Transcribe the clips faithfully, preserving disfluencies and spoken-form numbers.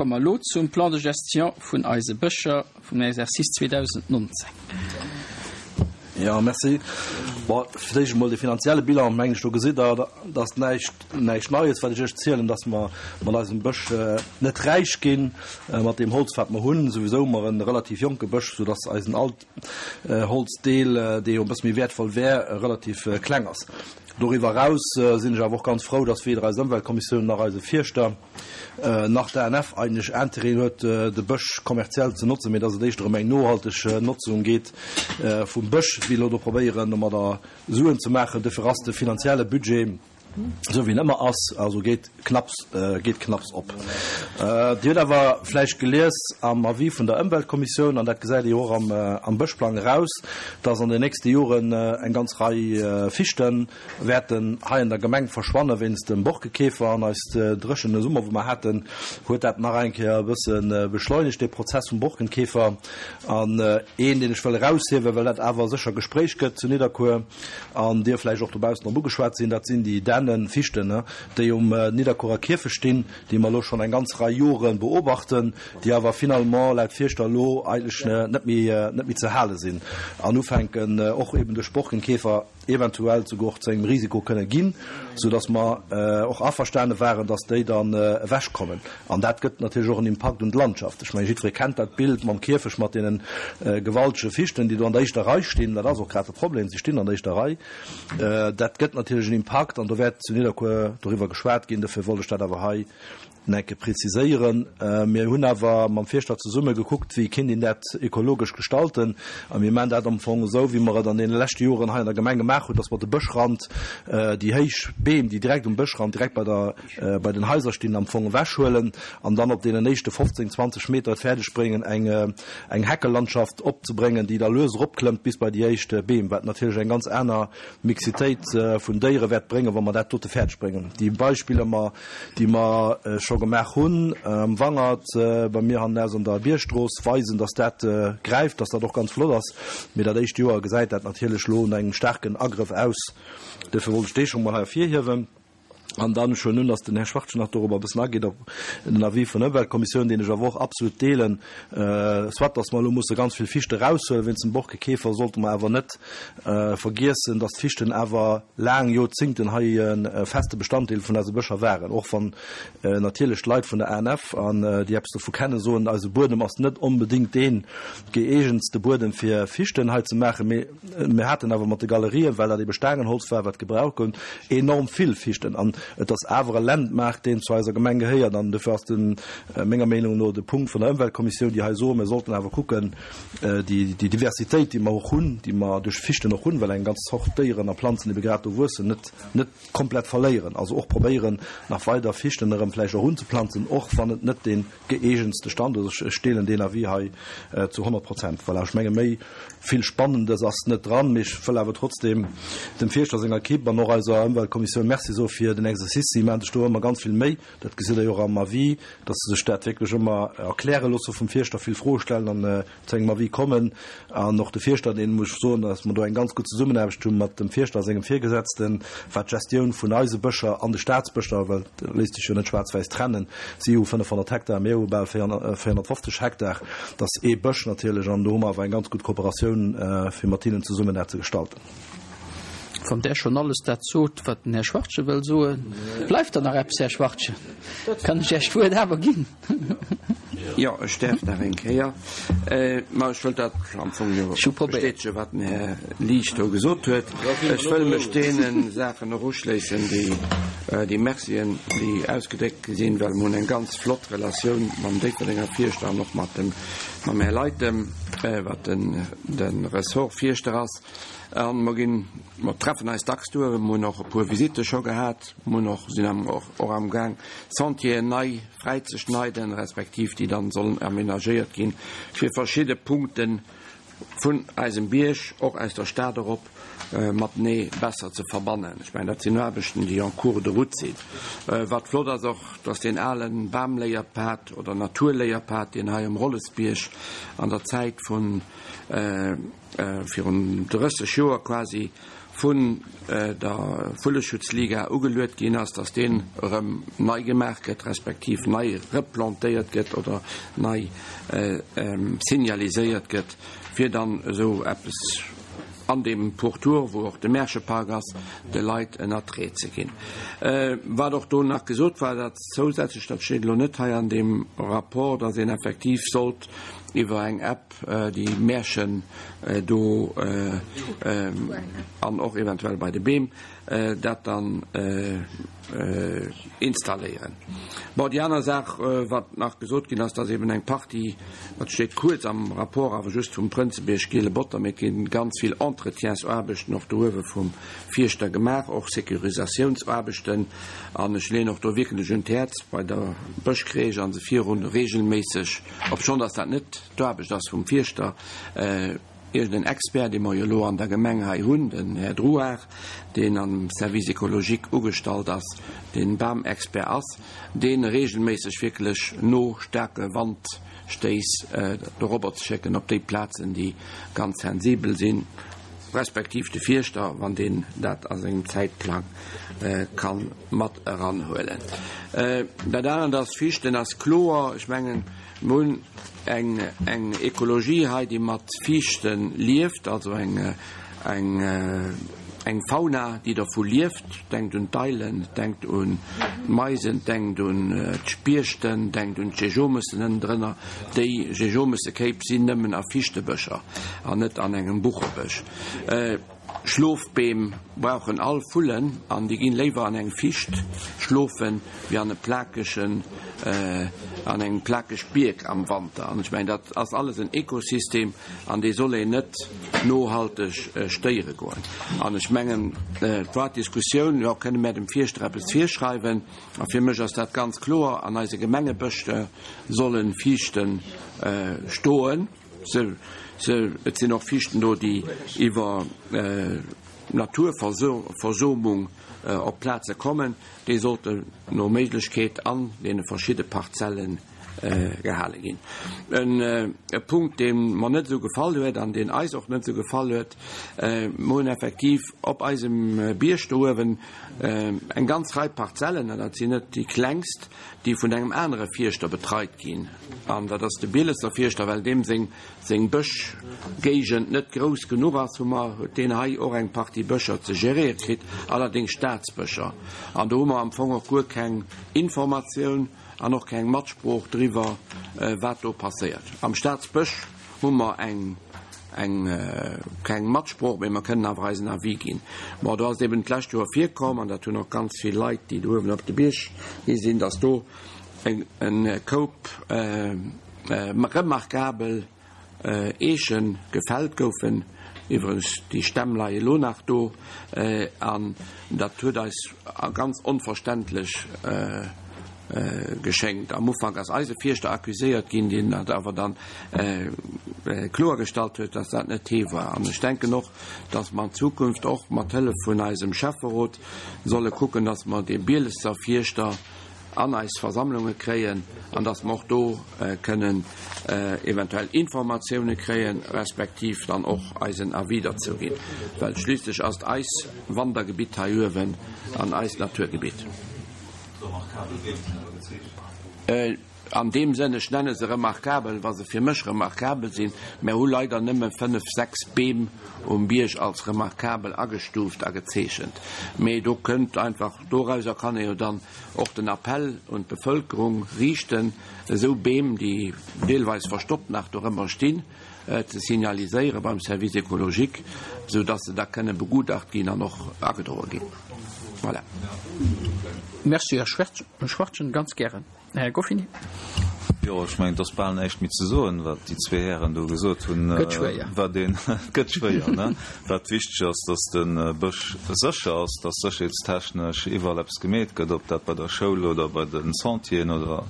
Komme mer elo zum Plan de gestion vun eise Bëscher vum Exercice zweedausendnonzéng. Jo, merci. Bon, fir d'éischt emol de finanzielle Bilan, mengen ech, do gesitt Der, dat ass näischt, näischt Neies, wat ech Iech zielen, dass mer mat eisem Bësch net räich ginn, mat deem Holz, wat mer hunn. Souwisou hu mer e relativ jonke Bësch, soudass eisen Altholzdeel, dee jo e bësse méi wäertvoll wär, relativ kleng ass. Doriwwer eraus sinn ech awer och ganz frou, dass weder eis Ëmweltkommissioun nach eise Fierschter nach d'A N F eigentlech Intérêt huet, de Bësch kommerziell ze notzen, mee dass et éischter ëm eng nohalteg Notzung geet vum Bësch, wéi elo do probéieren, domadder Suen ze maachen. Dofir ass de finanzielle Budget, esou wéi en ëmmer ass, also geet knapps, geet knapps op. Dir hutt awer vläicht gelies am Avis vun der Ëmweltkommissioun, an dat gesäit ee jo och am, am Bëschplang eraus, dass an den nächste Joren eng ganz Rei Fichte wäerten hei an der Gemeng verschwanne wéinst dem Borkekäfer. An eis dréchene Summer, wou mer haten, huet dat nach eng Kéier e bësse beschleunegt, dee Prozess vum Borkenkäfer. An een, deen ech wëll eraushiewen, well dat awer sécher Gespréich gëtt zu Nidderkuer an Dir vläicht och dobaussen drop ugeschwat sinn, dat sinn déi Dännen, Fichten, déi um Nidderkuerer Kierfecht stinn, déi mer elo schonn eng ganz Rei Jore beobachten, déi awer finalement laut Fierschter elo eigentlech net méi, net méi ze hale sinn an ufänken och eben duerch Borkenkäfer eventuell souguer och zu engem Risiko kënne ginn, soudass mer och averstane waren, dass déi dann ewechkommen. An dat gëtt natierlech och en Impakt un d'Landschaft. Ech mengen, jiddweree kennt dat Bild mam Kierfecht mat deene gewaltege Fichten, déi do an der éischter Rei stinn. Dat ass och grad de Problem, si stinn an der éischter Rei. Dat gëtt natierlech en Impakt an do wäert zu Nidderkuer doriwwer geschwat ginn. Dofir wollt ech dat awer hei nach eng Kéier preziséieren. Mir hunn awer mam Fierschter zesumme gekuckt, wéi kéint een dat ökologesch gestalten. A mir maachen dat am Fong esou, wéi mer et an deene leschte Joren hei an der Gemeng gemaach hunn, dass mer de Bëschrand, déi héich Beem, déi direkt um Bëschrand, direkt bei der, bei den Haiser stinn, am Fong ewechhuelen an dann op deenen éischte fofzéng, zwanzeg Meter et fäerdeg bréngen, eng, eng Heckelandschaft opzebréngen, déi da lues eropklëmmt bis bei déi éischt Beem, wat natierlech eng ganz aner Mixitéit vun Déiere wäert bréngen, wa mer dat dote fäerdeg bréngen. Déi Beispiller, déi mer scho gemaach hunn am Wangert, bei mir hannenaus an der Biergstrooss, weisen, dass dat gräift, dass dat och ganz flott ass. Mee dat éischt Joer gesäit dat natierlech elo no engem staarken Agrëff aus. Duerfir wollt ech dee scho mol hei ervirhiewen. An dann ech huelen un, dass den Här Schwachtgen nach dorobber e bëssen ageet, op den Avis vun der Ëmweltkommissioun, deen ech awer och absolut deelen. Soit dass mer elo musse ganz vill Fichte eraushuelen wéinst dem Borkekäfer, sollte mer awer net vergiessen, dass d'Fichten awer laang Joerzingten hei e feste Bestanddeel vun eise Bëscher waren. Och wann natierlech d'Leit vun der A N F an déi eppes dovu kennen, soen, eise Buedem ass net onbedéngt dee gëeegentste Buedem fir Fichten hei ze maachen, mee mir haten awer mat de Galerien, well dat ebe Staangenholz war, wat gebraucht gouf, enorm vill Fichten. An et ass awer e Landmark, deen zu eiser Gemeng gehéiert. An dofir ass de menger Meenung no de Punkt vun der Ëmweltkommissioun, déi hei soen, mir sollten awer kucken, déi Diversitéit, déi mer och hunn, déi mer duerch Fichten och hunn, well eng ganz Zort Déieren a Planzen ebe grad do wuessen, net net komplett verléieren. Also och probéieren, nach weider Fichten erëm vläicht och unzeplanzen, och wann et net dee gëeegentste Standuert ass. Ech deelen deen Avis hei zu honnert Prozent. Voilà, ech menge méi vill Spannendes ass net dran, mee ech wëll awer trotzdeem dem Fierschter, senger Ekipp an och eiser Ëmweltkommissioun Merci soe fir den Exercice. Si maachen sech do ëmmer ganz vill Méi, dat gesitt Der jo och am Avis, dass se sech dat wierklech ëmmer erkläre loosse vum Fierschter, vill Froe stellen an zu engem Avis kommen. An och de Fierschter, deen muss ech soen, dass mer do eng ganz gutt Zesummenaarbecht hu mat dem Fierschter a sengem Virgesetzten, wat d'Gestioun vun eise Bëscher an de Staatsbëscher, well dat léisst sech jo net schwaarz-wäiss trennen, si hu fënnefhonnert Hektar, mir hu bal véierhonnertfofzeg Hektar, dat ass ee Bësch natierlech, an do hu mer awer eng ganz gutt Kooperatioun, fir mat hinnen zesummen dat ze gestalten. Wann Der schonn alles dat sot, wat den Här Schwachtgen wëll soen, bleift der nach eppes, Här Schwachtgen? Kann ech Iech d'Wuert awer ginn? Jo, ech däerf nach eng Kéier. Ma ech wëll dat am Fong jo bestätegen, wat den Här Liesch do gesot huet. Ech wëll mech deene Saachen och uschléissen, déi, déi Mercien, déi ausgedréckt gi sinn, well mer hunn eng ganz flott Relatioun mam Déifferdenger Fierschter an och mat dem, mam Här Leytem, wat den, de Ressort-Fierschter ass. A mer ginn, mer treffen eis dacks duer, mer hunn och e puer Visitte scho gehat, mer hunn och, sinn am, och amgaang Sentieren nei fräizeschneiden, respektiv déi dann sollen aménagéiert ginn, fir verschidde Punkte vun eisem Bierg, och aus der Stad erop, matenee besser ze verbannen. Ech mengen, dat sinn Aarbechten, déi en cours de route sinn. Wat flott ass och, dass deen ale Bamléierpad oder Naturléierpad, deen hei um Rollesbierg an der Zäit vun, virun drësseg Joer quasi vun der Vulleschutzliga ugeluet ginn ass, dass deen erëm nei gemaach gëtt, respektiv nei replantéiert gëtt oder nei signaliséiert gëtt, fir dann esou eppes an deem Pourtour, wou och de Märchepark ass, de Leit en Attrait ze ginn. Wat och do nach gesot war, dat zousätzlech, dat steet elo net hei an deem Rapport, dass een effektiv sollt iwwer eng App déi Märchen do an och eventuell bei de Beem dat dann installéieren. Bon, déi aner Saach, wat nach gesot ginn ass, dass eben eng Partie, dat steet kuerz am Rapport, awer just vum Prënzebierg, Giele Botter, mee et gi ganz vill Entretiensaarbechten och do uewe vum Fierschter gemaach, och Sécurisatiounsaarbechten. An ech leeën och do wierklech un d'Häerz bei der Bëschcrèche a se virun regelméisseg, obschonn dass dat net d'Aarbecht ass vum Fierschter, iergend en Expert, dee mer jo elo an der Gemeng hei hunn, den Här Drouard, deen am Service écologique ugestallt ass, dee Bamexpert ass, dee regelméisseg wierklech no staarke Wandstéiss dorobber ze schécken op déi Plazen, déi ganz sensibel sinn, respektiv de Fierschter, wann deen dat a sengem Zäitplang ka mat eranhuelen. Dat anert ass, Fichten ass kloer, ech mengen, mer hunn eng eng Ekologie hei, déi mat Fiichte lieft, also eng eng eng Fauna, déi dervu lieft. Denkt un d'Eilen, denkt un d'Meisen, denkt un d'Spiechten, denkt un d'Jejomessen ënnendrënner. Déi Jejomessekéip sinn nëmmen a Fiichtebëscher an net an engem Buchebësch. Schlofbeem brauchen all Vullen an déi ginn léiwer an eng Ficht schlofen wéi an e plakegen, an eng plakeg Bierk am Wanter. An ech mengen, dat ass alles en Ekosystem an dee soll een net nohalteg stéiere goen. An ech mengen, et war d'Diskussioun, jo, kënne mär dem Fierschter eppes virschreiwen? A fir mech ass dat ganz kloer, an eise Gemengebësche solle Fiichte stoen. Se, se, et sinn och Fiichten do, déi iwwer Naturversomung op Plaze kommen. Déi sollten no Méiglechkeet an deene verschidde Parzelle gehale ginn. En e Punkt, dee mer net esou gefall huet an deen eis och net esou gefall huet, Mer hunn effektiv op eisem Bierg do uewen eng ganz Rei Parzellen, an dat sinn net déi klengst, déi vun engem anere Fierschter betreit ginn, an dat ass de Bielesser Fierschter, well deem seng seng Bëschgéigend net grouss genuch ass, hu mer, huet deen hei och eng Partie Bëscher ze geréiere kritt, allerdéngs Staatsbëscher. An do hu mer am Fong och guer keng Informatioun an och keng Matsprooch driwwer, wat do passéiert. Am Staatsbësch hu mer eng eng keng Matsprooch, mee mer kënnen awer eisen Avis ginn. Bon, do ass et eben d'lescht Joer virkomm, an dat hunn och ganz vill Leit, déi do uewen op de Bierg gi sinn, dass do e Koup remarkabel Eeche gefällt goufen. Iwwregens, déi Stämm leie elo nach do. An dat huet eis ganz onverständlech geschéngt. Am Ufank ass eise Fierschter accuséiert ginn, deen dat awer dann kloergestallt huet, dass dat net hee war. An ech denken och, dass mer an Zukunft och mat Hëllef vun eisem Schäfferot solle kucken, dass mer dee Bielesser Fierschter an eis Versammlunge kréien an dass mer och do kënnen eventuell Informatioune kréien, respektiv dann och eisen Avis derzou ginn, well schliisslech ass et eis Wandergebitt hei uewen an eist Naturgebitt. An deem Sënn, ech nenne se remarkabel, wa se fir mech remarkabel sinn. Mär hu leider nëmme fënnef, sechs Beem um Bierg als remarkabel agestuuft a gezeechent. Mee do kënnt einfach, dorauser kann ee jo dann och den Appell un d'Bevëlkerung riichten, esou Beem, déi deelweis verstoppt nach dorëmmer stinn, ze signaliséiere beim Service écologique, esou dass se da kënne begutacht ginn an och agedroe ginn. Voilà. Merci, Här Schwachtgen. Ganz gären. Här Goffini. Jo, ech mengen, et ass bal näischt méi ze soen, wat déi zwee Hären do gesot hunn. Gëtt schwéier. Wat een, et gëtt schwéier, ne? Wat wichteg ass, dass de Bësch sécher ass, dass sécherheetstechnesch iwwerall eppes gemeet gëtt, ob dat bei der Schoul oder bei de Sentieren oder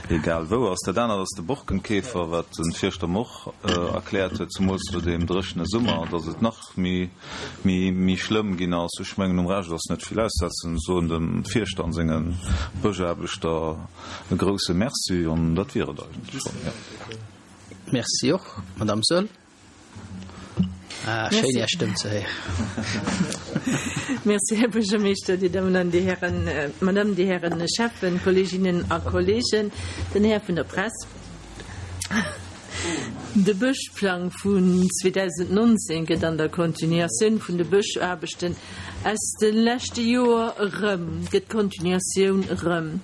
egal wou ass. Dat anert ass de Borkenkäfer, wat de Fierschter mer och erkläert huet, zemools no deem dréchene Summer, dass et nach méi, méi, méi schlëmm ginn ass. Ech mengen, um Rescht ass net vill aussetzen. Soen dem Fierschter an senge Bëschaarbechter e grouse Merci an dat wier et eigentlech schonn, jo. Merci och, Madame Saeul. Ah, schéin Är Stëmm ze héieren. Merci, Här Buergermeeschter, Dir Dammen an Dir Hären, Madame, Dir Hären Schäffen, Kolleeginnen a Kolleegen, den Här vun der Press. De Bëschplang vun zweedausendnonzéng gëtt an der Continuatioun vun de Bëschaarbechten aus de leschte Joer erëm, gëtt d'Continuatioun erëm.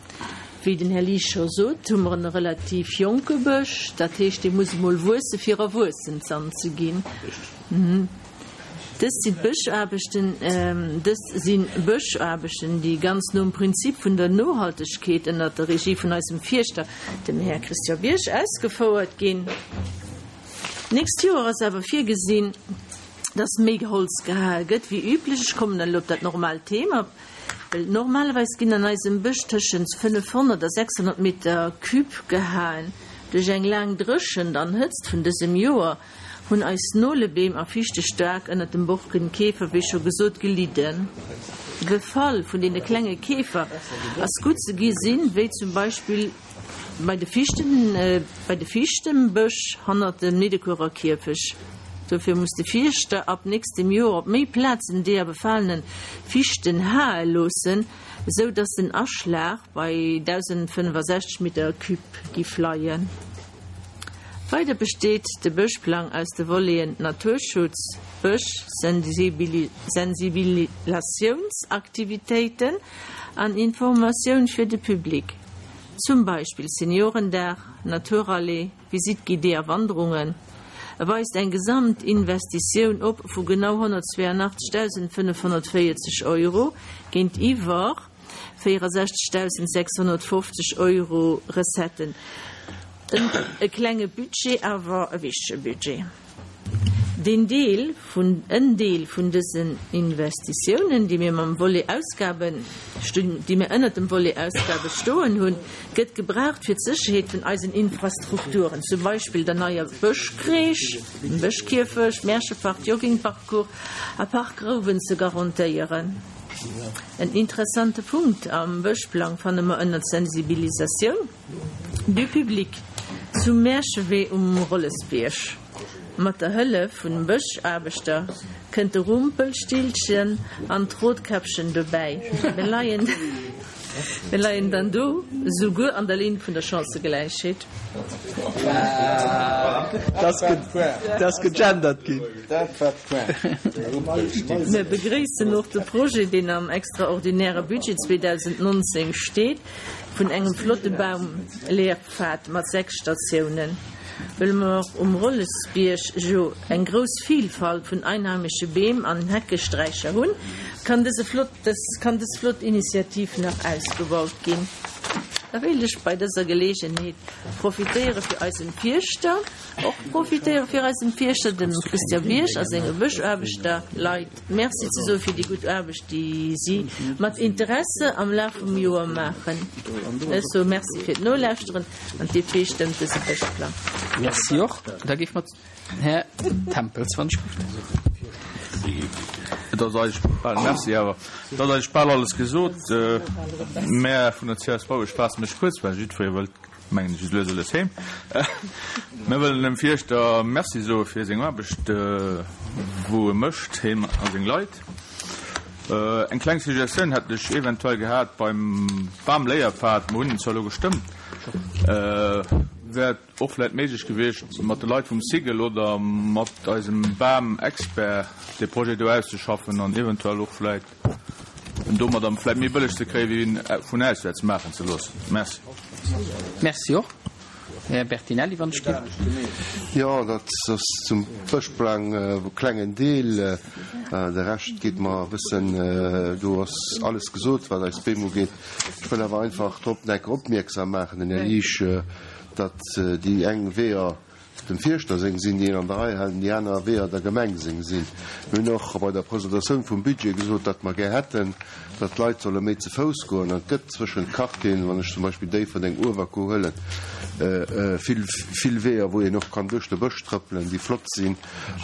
Wéi den Här Liesch scho sot, hu mer en relativ jonke Bësch, dat heescht, dee muss emol wuesse fir erwuessen zan ze ginn. Dëst sinn d'Bëschaarbechten, dëst si Bëschaarbechten, déi ganz nom Prinzip vun der Nohaltegkeet ënnert der Regie vun eisem Fierschter, dem Här Christian Bierg, ausgefouert ginn. D'nächst Joer ass awer virgesinn, dass méi Holz gehae gëtt wéi üblech. Ech kommen elo op dat normaalt Thema, well normalerweis ginn an eisem Bësch tëschent fënnefhonnert a sechshonnert Meter Cube gehaen. Duerch eng laang Dréchent an Hëtzt vun dësem Joer hunn eis Nolebeem a Fichte staark ënnert dem Borkenkäfer, wéi scho gesot, gelidden. De Befall vun deene klenge Käfer ass gutt ze gesinn, wéi zum Beispill Bei de Fichten, bei de Fichtembësch hannert dem Niddekuerer Kierfech. Dofir muss de Fierschter ab nächstem Joer op méi Plazen deeër befalene Fichten hae loossen, esou dass den Aschlag bei dausendfënnefasechzeg Meter Cube giff leien. Weider besteet de Bëschplang aus de Voleten Naturschutz, Bësch, Sensibilatiounsaktivitéiten an Informatioun fir de Public. Zum Beispill Seniorendag, Naturrallye, Visite guidée a Wanderungen. E weist eng Gesamtinvestitioun op vu genau honnertzweeanachtzegdausendfënnefhonnertvéierzeg Euro géintiwwer véierundsechzegdausendsechshonnertfofzeg Euro Recetten. E klenge Budget, awer e wichtege Budget. Deen Deel vun, en Deel vun dësen Investitiounen, déi mir mam Volet Ausgaben, déi mir ënnert dem Volet Ausgabe stoen hunn, gëtt gebraucht fir d'Sécherheet vun eisen Infrastrukturen, zum Beispill der neier Bëschcrèche, dem Bëschkierfecht, Märchepark, Joggingparcours a Park Grouwen ze garantéieren. En interessante Punkt am Bëschplang fanne mer ënnert Sensibilisatioun du public zum Märchewee um Rollesbierg. Mat der Hëllef vun Bëschaarbechter kënnt de Rumpelstilzchen an d'Rotkäppchen dobäi. Mir leien, mir leien dann do souguer an der Linn vun der Chancëgläichheet. Dat ass gegendert ginn. Mir begréissen och de Projet, deen am extraordinäre Budget zweedausendnonzéng steet, vun engem flotte Baumlehrpfad mat sechs Statiounen. Wëll mer um Rollesbierg jo eng grouss Vilfalt vun einheimesche Beem an Heckesträicher hunn, kann dëse flott, dës, kann dës flott Initiativ nach ausgebaut ginn. Da wéilt ech bei dëser Geleegenheet profitéiere fir eisem Fierschter, och profitéiere fir eisem Fierschter, dem Christian Bierg a senge Bëschaarbechter Leit Merci ze soe fir déi gutt Aarbecht, déi si mat Interesse am Laf vum Joer maachen. Ech soe Merci fir d'Nolauschteren an d'D P stëmmt dëse Bëschplang. Merci och. Da géife mer Här Tempels, wann ech gutt. Et ass eigentlech bal, Merci awer, et ass eigentlech bal alles gesot. Mä vun der C S V, ech faasse mech kuerz, well jiddweree wëllt, mengen ech, lues a lues heem. Mir wëllen dem Fierschter Merci soe fir seng Aarbecht, wou e mécht, hien a seng Leit. Eng kleng Suggestioun hätt ech eventuell gehat beim Bamléierpfad, mer hunn en zwar elo gestëmmt, wär et och vläicht méiglech gewiescht, mat de Leit vum Cigl oder mat eisem Bamexpert dee Projet do auszeschaffen an eventuell och vläicht en domadder vläicht méi bëlleg ze kréien, wéi en vun auswäerts maachen ze loossen. Merci. Merci och. Här Bertinelli, wann ech ginn. Jo, dat ass zum Bëschplang e klengen Deel. De Rescht geet mer e bëssen, do ass alles gesot, wat eis Beem ugeet. Ech wëll awer einfach drop nach eng Kéier opmierksam maachen, den Här Liesch, datt déi eng Weeër dem Fierschter seng sinn, déi een an der Rei hält, an déi aner Weeër der Gemeng seng sinn. Mir hunn och bei der Presentatioun vum Budget gesot, datt mer gär hätten, datt d'Leit solle méi ze Fouss goen. An et gëtt zwëschent Quartieren, wann ech zum Beispill Déifferdeng, Uewerkuer huelen, vill, vill Weeër, wou een och kann duerch de Bësch trëppelen, déi flott sinn.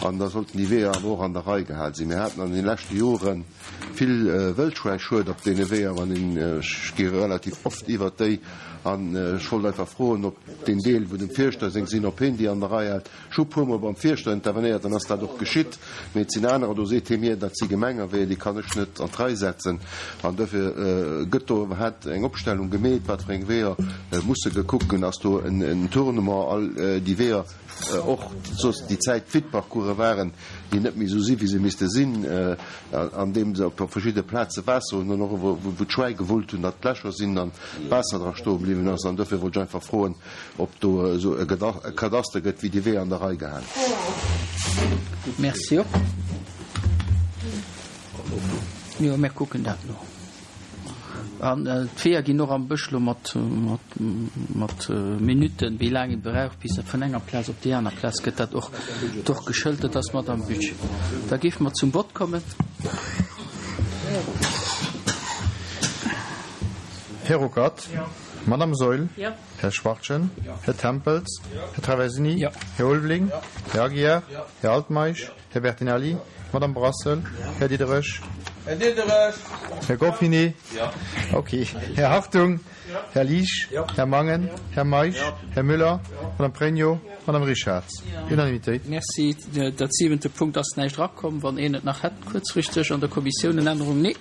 An da sollten déi Weeër awer och an der Rei gehal sinn. Mir haten an de leschte Jore vill Wëldschwäischued op deene Weeër, wann een, ech gi relativ oft iwwert déi, an ech wollt einfach froen, ob deen Deel, wou dem Fierschter seng sinn, ob hien déi an an der Rei hält. Ech hu puermol beim Fierschter intervenéiert, dann ass dat och geschitt. Mee et sinn anerer, do seet hie mir, dat si Gemengeweeër, déi kann ech net an d'Rei setzen. An dofir gëtt do iwwerhaapt eng Opstellung gemeet, wat fir eng Weeër musse gekuckt ginn. Ass do en Tournement, all déi Weeër, och soss déi Zäit Vide-Parcourse waren, déi net méi esou si wéi se misste sinn, andeem se op verschidde Plaze Waasser hunn an och wou d'Schwäi gewullt hunn, datt d'Lächer sinn an d'Waasser dra stoe bliwwen ass. An dofir wollt ech einfach froen, ob do esou e Kadaster gëtt, wéi déi Weeër an der Rei gehale ginn. Merci och. Jo, mir kucken dat no. An d'Weeër ginn och am Bësch elo mat mat Minutten, wéi laang ee brauch, bis e vun enger Plaz op déi aner Plaz gëtt dat och och geschëlt. Dat ass mat am Budget. Da géife mer zum Vott kommen. Här Ruckert? Madame Saeul? Här Schwachtgen? Här Tempels? Här Traversini? Här Ulveling? Här Aguiar? Här Altmeisch? Här Bertinelli? Madame Brassel? Här Diderich? Här Diderich! Här Goffinet? Okay. Här Hartung? Här Liesch? Här Mangen? Här Meisch? Här Müller? Madame Pregno? Madame Richarz? Unanimitéit. Merci. Dat siwente Punkt ass näischt erakomm. Wann een et nach hätt, kuerzfristeg an der Kommissioun en Ännerung? Nee.